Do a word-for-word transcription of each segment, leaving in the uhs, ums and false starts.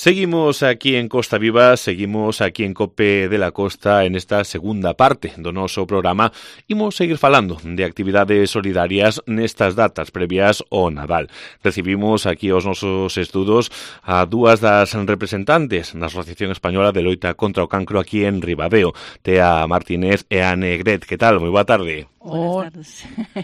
Seguimos aquí en Costa Viva, seguimos aquí en Cope de la Costa en esta segunda parte do noso programa. Imos seguir falando de actividades solidarias nestas datas previas ao Nadal. Recibimos aquí aos nosos estudos a dúas das representantes da Asociación Española de Loita contra o Cancro aquí en Ribadeo, Tea Martínez e Ane Gret. Que tal? Moi boa tarde. Buenas tardes.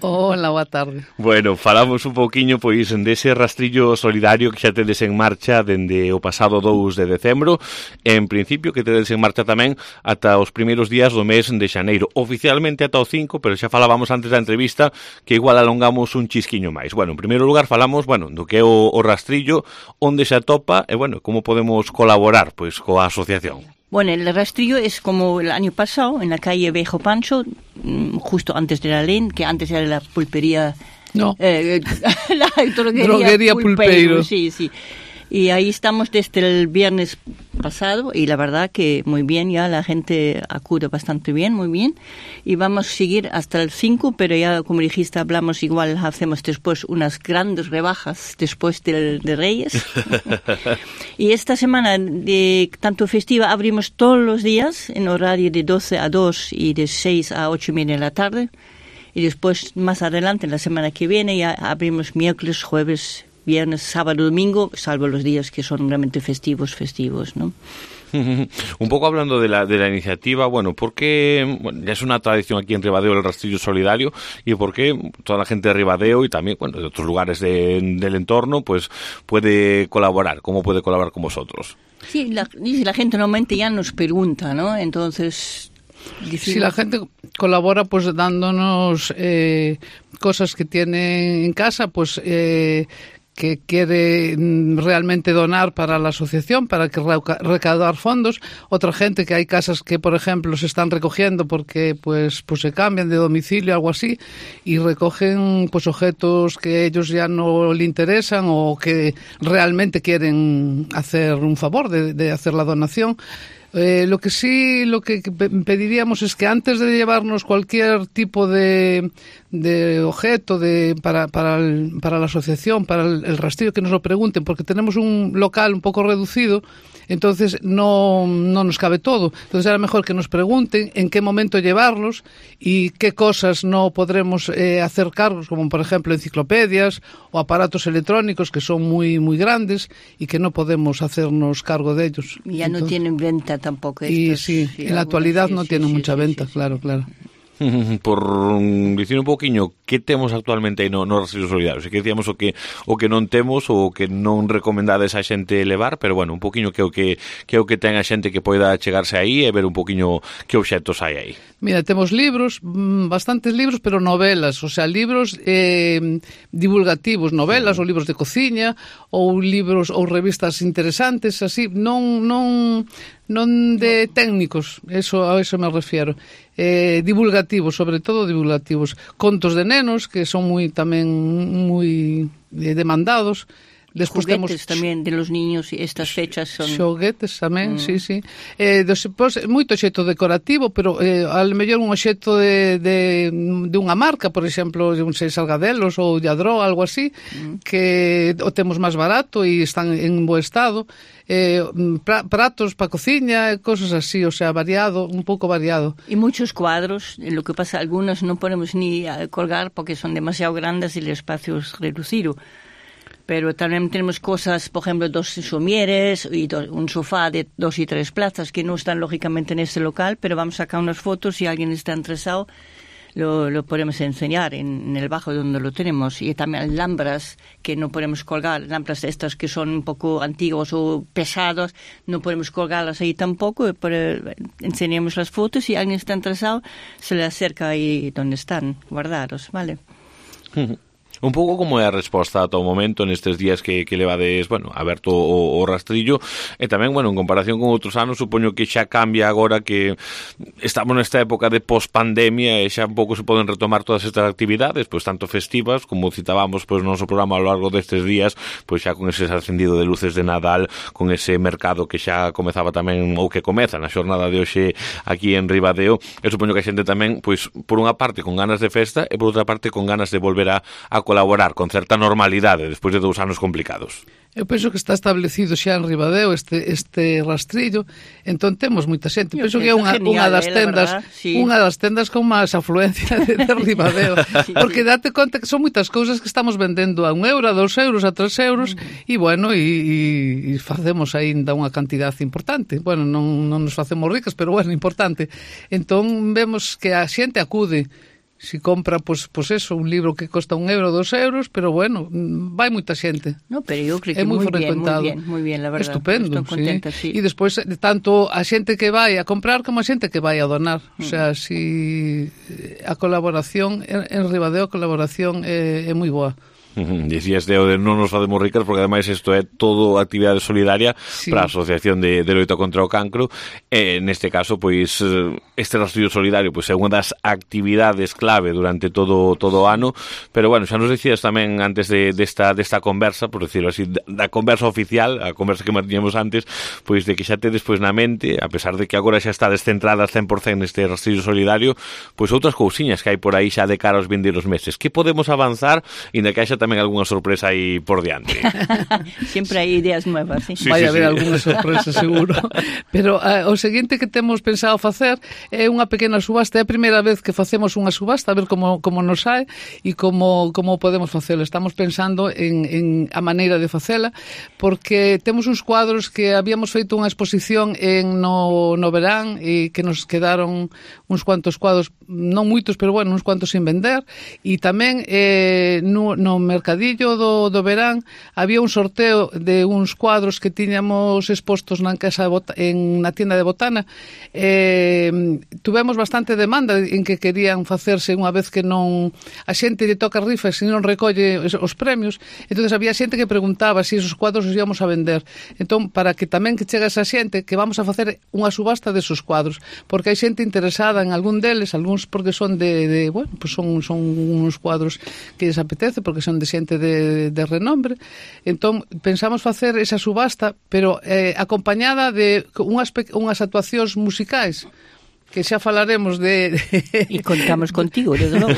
Hola, boa tarde. Bueno, falamos un pouquiño pois dese rastrillo solidario que xa tedes en marcha dende o pasado dous de decembro, en principio que tedes en marcha tamén ata os primeiros días do mes de xaneiro, oficialmente ata o cinco, pero xa falábamos antes da entrevista que igual alongamos un chisquiño máis. Bueno, en primeiro lugar falamos, bueno, do que é o, o rastrillo, onde se atopa e, bueno, como podemos colaborar pois coa asociación. Bueno, el rastrillo es como el año pasado, en la calle Viejo Pancho, justo antes de la L E N, que antes era la pulpería... No, eh, la droguería, droguería Pulpeiro. Sí, sí. Y ahí estamos desde el viernes pasado y la verdad que muy bien, ya la gente acude bastante bien, muy bien. Y vamos a seguir hasta el cinco, pero ya como dijiste, hablamos igual, hacemos después unas grandes rebajas después del, de Reyes. Y esta semana de tanto festiva abrimos todos los días en horario de doce a dos y de seis a ocho y media de la tarde. Y después, más adelante, en la semana que viene, ya abrimos miércoles, jueves, viernes, sábado, domingo, salvo los días que son realmente festivos, festivos, ¿no? Un poco hablando de la, de la iniciativa, bueno, ¿por qué bueno, ya es una tradición aquí en Ribadeo el rastrillo solidario y por qué toda la gente de Ribadeo y también, bueno, de otros lugares de, del entorno, pues puede colaborar? ¿Cómo puede colaborar con vosotros? Sí, la, la gente normalmente ya nos pregunta, ¿no? Entonces... Si sí, la gente colabora pues dándonos eh, cosas que tiene en casa, pues eh, que quiere realmente donar para la asociación, para que recaudar fondos. Otra gente que hay casas que, por ejemplo, se están recogiendo porque pues pues se cambian de domicilio, algo así, y recogen pues objetos que ellos ya no le interesan o que realmente quieren hacer un favor de, de hacer la donación. Eh, lo que sí, lo que pediríamos es que antes de llevarnos cualquier tipo de, de objeto de, para, para, el, para la asociación, para el, el rastrillo, que nos lo pregunten, porque tenemos un local un poco reducido, entonces no, no nos cabe todo. Entonces era mejor que nos pregunten en qué momento llevarlos y qué cosas no podremos eh, hacer cargos, como por ejemplo enciclopedias o aparatos electrónicos que son muy, muy grandes y que no podemos hacernos cargo de ellos. Ya entonces, no tienen venta tampoco. Y estos, sí, sí, en la actualidad sí, no sí, tienen sí, mucha sí, venta, sí, claro, sí. claro. Por dicir un poquinho, que temos actualmente aí no, no rastrillo solidario? Se que decíamos o que o que non temos ou que non recomendades a xente levar, pero bueno, un poquinho que o que que o que ten a xente que poida chegarse aí e ver un poquinho que obxectos hai aí. Mira, temos libros, bastantes libros, pero novelas, o sea, libros eh, divulgativos, novelas, sí, ou libros de cociña, ou libros ou revistas interesantes, así, non non non de técnicos, eso a eso me refiero. Eh, divulgativos, sobre todo divulgativos, contos de nenos que son moi tamén moi demandados. Despois xoguetes temos tamén de los niños, e estas fechas son... Xoguetes tamén, mm. sí, sí. Eh, despois, moito xeito decorativo, pero eh, al mellor un xeito de, de, de unha marca, por exemplo, de un sei Salgadelos ou de Adro, algo así, mm. que o temos máis barato e están en bo estado. Eh, pra, pratos para cociña, cosas así, o sea, variado, un pouco variado. Y muchos cuadros, lo que pasa, algunos no podemos ni colgar porque son demasiado grandes y el espacio es reducido. Pero también tenemos cosas, por ejemplo, dos somieres y dos, un sofá de dos y tres plazas que no están lógicamente en este local, pero vamos a sacar unas fotos si alguien está interesado. Lo, lo podemos enseñar en, en el bajo donde lo tenemos. Y también lámparas que no podemos colgar, lámparas estas que son un poco antiguas o pesadas, no podemos colgarlas ahí tampoco, pero enseñamos las fotos y si alguien está interesado se le acerca ahí donde están guardados, ¿vale? Un pouco como é a resposta ata o momento nestes días que, que levades, bueno, aberto o, o rastrillo e tamén, bueno, en comparación con outros anos, supoño que xa cambia agora que estamos nesta época de post-pandemia e xa un pouco se poden retomar todas estas actividades, pois tanto festivas, como citábamos pois no noso programa ao largo destes días, pois xa con ese ascendido de luces de Nadal, con ese mercado que xa comezaba tamén, ou que comeza na xornada de hoxe aquí en Ribadeo, e supoño que a xente tamén, pois, por unha parte con ganas de festa e por outra parte con ganas de volver a, a colaborar con certa normalidade despois de dous anos complicados. Eu penso que está establecido xa en Ribadeo este este rastrillo, entón temos moita xente. Eu penso que é unha, unha das tendas, verdad, sí. unha das tendas con máis afluencia de, de Ribadeo, sí, porque date conta que son moitas cousas que estamos vendendo a un euro, a dos euros, a tres euros, e uh -huh. bueno, e, e facemos aínda unha cantidade importante. Bueno, non, non nos facemos ricas, pero bueno, importante. Entón vemos que a xente acude. Si compra, pois, pois eso, un libro que costa un euro, dos euros, pero bueno, vai moita xente. No, pero eu creo que é moi frecuentado. Bien, moi bien, la verdad. Estupendo, estou contenta, sí. sí. E despois, tanto a xente que vai a comprar como a xente que vai a donar. Mm. O sea, si a colaboración, en, en Ribadeo a colaboración é, é moi boa. Dicías de, de non nos facemos ricas porque ademais isto é todo actividade solidaria sí. para a Asociación de, de Loita contra o Cancro e neste caso pois este rastrillo solidario pois é unha das actividades clave durante todo todo o ano, pero bueno, xa nos dicías tamén antes de desta de desta conversa, por decirlo así, da conversa oficial, a conversa que mantiñamos antes, pois de que xa tedes pois na mente, a pesar de que agora xa está descentrada cen por cento neste rastrillo solidario, pois outras cousiñas que hai por aí xa de cara aos vindeiros meses. Que podemos avanzar inda que haxa tamén algunha sorpresa aí por diante. Sempre hai ideas nuevas, ¿sí? Sí, vai sí, haber sí. algunha sorpresa seguro. Pero uh, o seguinte que temos pensado facer é unha pequena subasta. É a primeira vez que facemos unha subasta, a ver como, como nos sae e como, como podemos facela. Estamos pensando en, en a maneira de facela, porque temos uns cuadros que habíamos feito unha exposición en no, no verán e que nos quedaron uns cuantos cuadros, non moitos, pero bueno, uns cuantos sin vender, e tamén eh, no, no mercadillo do, do verán había un sorteo de uns cuadros que tiñamos expostos na casa de Bota, en na tienda de Botana. Eh, tuvemos bastante demanda en que querían facerse unha vez que non a xente lle toca rifas e non recolle os premios, entonces había xente que preguntaba se si esos cuadros os íamos a vender. Entón, para que tamén que chegue esa xente, que vamos a facer unha subasta desos cuadros, porque hai xente interesada en algún deles, algúns porque son de, de bueno, pues son, son uns cuadros que lles apetece, porque son de xente de, de renombre. Entón, pensamos facer esa subasta, pero eh, acompañada de unhas, unhas actuacións musicais, que xa falaremos de... E contamos contigo, desde logo.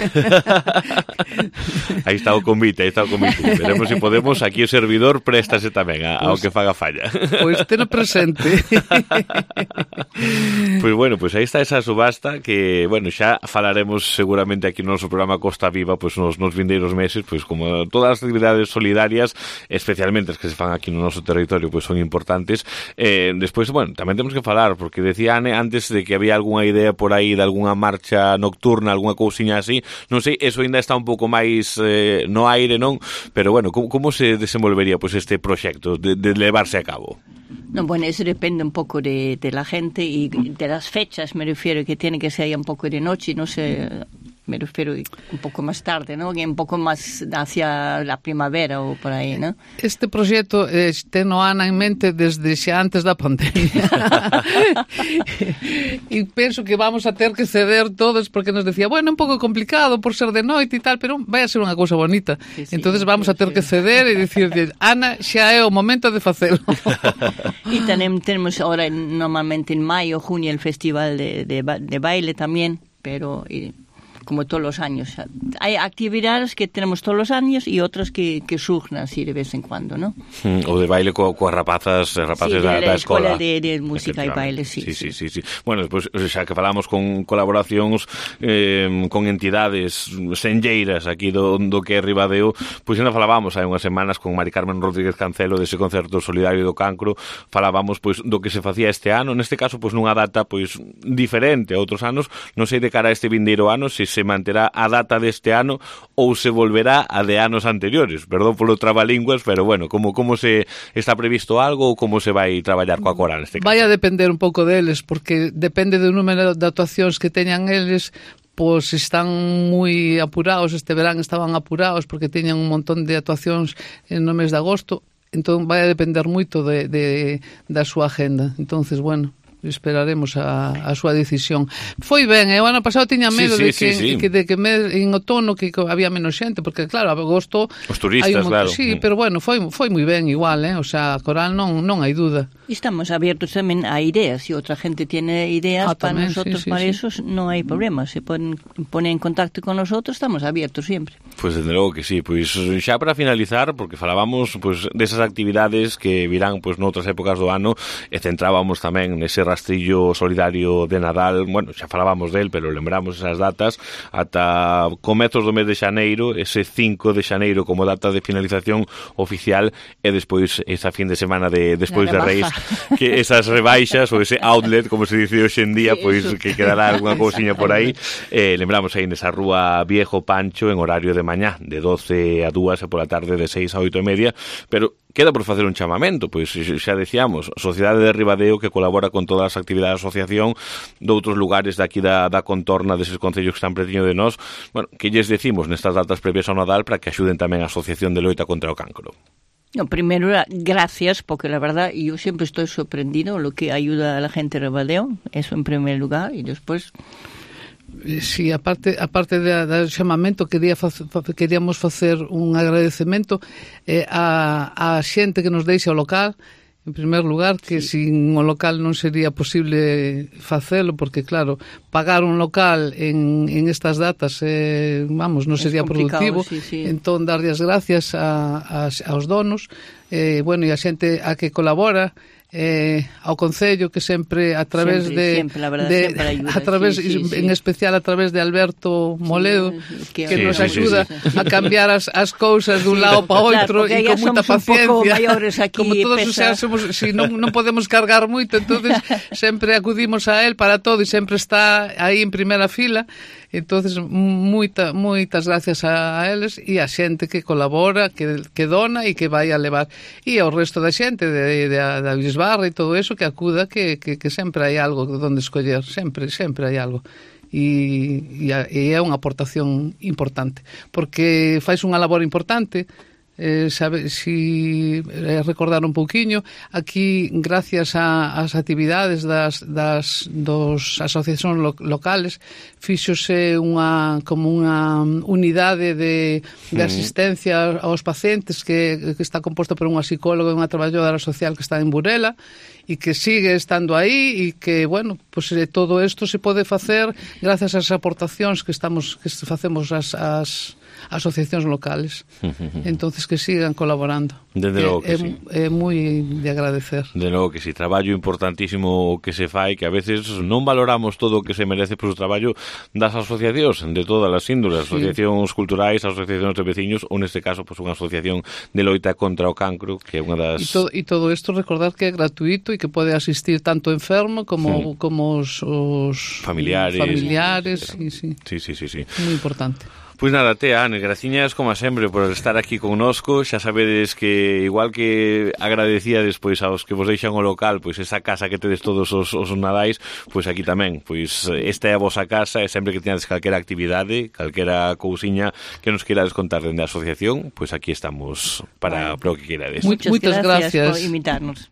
Aí está o convite, aí está o convite. Veremos se si podemos, aquí o servidor préstase tamén a, ao que faga falla. Pois teno presente. Pois bueno, pois aí está esa subasta que, bueno, xa falaremos seguramente aquí no noso programa Costa Viva, pois nos, nos vindeiros meses, pois como todas as actividades solidarias, especialmente as que se fan aquí no noso territorio, pois son importantes. Eh, despois, bueno, tamén temos que falar, porque decía Ane antes de que había algunha idea por aí de algunha marcha nocturna, algunha cousiña así, non sei, eso ainda está un pouco máis eh, no aire, non? Pero bueno, como, como se desenvolvería pois este proxecto de, de levarse a cabo? No, bueno, eso depende un poco de, de la gente y de las fechas, me refiero, que tiene que ser un poco de noche, no sé, me refiero un poco más tarde, ¿no? Un poco más hacia la primavera ou por aí, ¿no? Este proxecto eh, teno Ana en mente desde xa antes da pandemia. E penso que vamos a ter que ceder todos, porque nos decía, bueno, un pouco complicado por ser de noite e tal, pero vai a ser unha cousa bonita. Sí, sí, entonces vamos sí, a ter sí. que ceder e dicir, Ana, xa é o momento de facelo. E tamén temos ahora normalmente en maio, junio, el festival de, de, de baile tamén, pero... Y, como todos los años. Hay actividades que tenemos todos los años y otras que, que surgen así de vez en cuando, ¿no? Mm, o de baile co, coas rapazas, rapaces sí, da, da escola. De, de música e baile, sí. Sí, sí, sí, sí. Bueno, despois, xa que falamos con colaboracións eh, con entidades senlleiras aquí do, do que é Ribadeo, pois ainda falábamos hai unhas semanas con Mari Carmen Rodríguez Cancelo dese concerto solidario do cancro, falábamos pois do que se facía este ano, neste caso pois nunha data pois diferente a outros anos, non sei de cara a este vindeiro ano se se manterá a data deste ano ou se volverá a de anos anteriores. Perdón polo trabalínguas, pero bueno, como como se está previsto algo ou como se vai traballar coa coral neste caso? Vai a depender un pouco deles, porque depende do número de actuacións que teñan eles, pois están moi apurados, este verán estaban apurados porque teñan un montón de actuacións no mes de agosto, entón vai a depender moito de, de, da súa agenda. Entonces, bueno, esperaremos a, a súa decisión. Foi ben, eh? O ano pasado tiña medo sí, de, que, sí, sí. que, de que me, en outono que había menos xente, porque claro, a agosto os turistas, hai un, claro. Sí, pero bueno, foi, foi moi ben igual, eh? O sea, a Coral non, non hai duda. Estamos abiertos tamén a ideas. Si outra gente tiene ideas, ah, para tamén, nosotros, sí, sí, para sí. eso non hai problema. Se ponen, ponen en contacto con nosotros, estamos abiertos sempre. Pois, pues, desde logo que sí. Pois pues, xa para finalizar, porque falábamos pues, desas actividades que virán pues, noutras épocas do ano, e centrábamos tamén nese rastrillo solidario de Nadal. Bueno, xa falábamos del, pero lembramos esas datas ata comezos do mes de xaneiro, ese cinco de xaneiro como data de finalización oficial, e despois esa fin de semana de despois de Reis, que esas rebaixas ou ese outlet, como se dice hoxe en día, pois pues, que quedará alguna cousiña por aí. Eh, lembramos aí nesa rúa Viejo Pancho en horario de mañá, de doce a dúas e pola tarde de seis a oito e media, pero queda por facer un chamamento, pois xa decíamos, a Sociedade de Ribadeo que colabora con todas as actividades da asociación de outros lugares daqui da, da contorna deses concellos que están pretiño de nós, bueno, que lles decimos nestas datas previas ao Nadal para que axuden tamén a Asociación de Loita contra o Cancro. No, primero, gracias, porque la verdad yo siempre estoy sorprendido lo que ayuda a la gente de Ribadeo, eso en primer lugar, y después... Sí, aparte, aparte de, de chamamento, quería facer, queríamos facer un agradecemento eh, a, a xente que nos deixa o local. En primer lugar, que sí. Sin o local non sería posible facelo, porque claro, pagar un local en, en estas datas eh, vamos, non sería productivo. Sí, sí. Entón, darlle as gracias a, a, aos donos, eh, bueno, e a xente a que colabora, eh, ao Concello, que sempre a través siempre, de, siempre, la verdad, de siempre ayuda, a través sí, sí, en sí. especial a través de Alberto Moledo, sí, que, que que sí, nos sí, axuda sí, sí, sí. a cambiar as, as cousas dun sí, lado para outro, claro, e con moita paciencia. Aquí, como todos pesa... xa somos, si non, non podemos cargar moito, entonces sempre acudimos a él para todo e sempre está aí en primeira fila. Entonces, moita, moitas gracias a, a eles e a xente que colabora, que, que dona e que vai a levar. E ao resto da xente de, de, da Bisbarra e todo eso que acuda, que, que, que sempre hai algo donde escoller, sempre, sempre hai algo. E, e, e é unha aportación importante, porque fais unha labor importante. Eh, sabe, si eh, recordar un pouquiño, aquí gracias ás actividades das, das dos asociacións lo, locales fíxose unha como unha unidade de, de asistencia aos pacientes que, que está composta por unha psicóloga e unha traballadora social que está en Burela e que sigue estando aí e que, bueno, pues eh, todo isto se pode facer gracias ás aportacións que estamos que facemos as, as asociacións locales. Entonces que sigan colaborando. Desde logo que é, sí. É moi de agradecer. De logo que sí, traballo importantísimo que se fai, que a veces non valoramos todo o que se merece por o traballo das asociacións de todas as índoles, sí. Asociacións culturais, asociacións de veciños, ou neste caso pues, unha asociación de loita contra o cancro, que é unha das... E todo, e todo isto recordar que é gratuito e que pode asistir tanto enfermo como, sí. como os, os familiares. familiares sí, sí. Sí, sí, sí, sí. Moi importante. Pois nada, Tea, Ane, graciñas como sempre por estar aquí connosco. Xa sabedes que igual que agradecíades pois aos que vos deixan o local, pois esa casa que tedes todos os, os nadais, pois aquí tamén, pois esta é a vosa casa e sempre que teñades calquera actividade, calquera cousiña que nos queirades contar dende a asociación, pois aquí estamos para, para o que queirades. Muchas, Muchas gracias, gracias por invitarnos.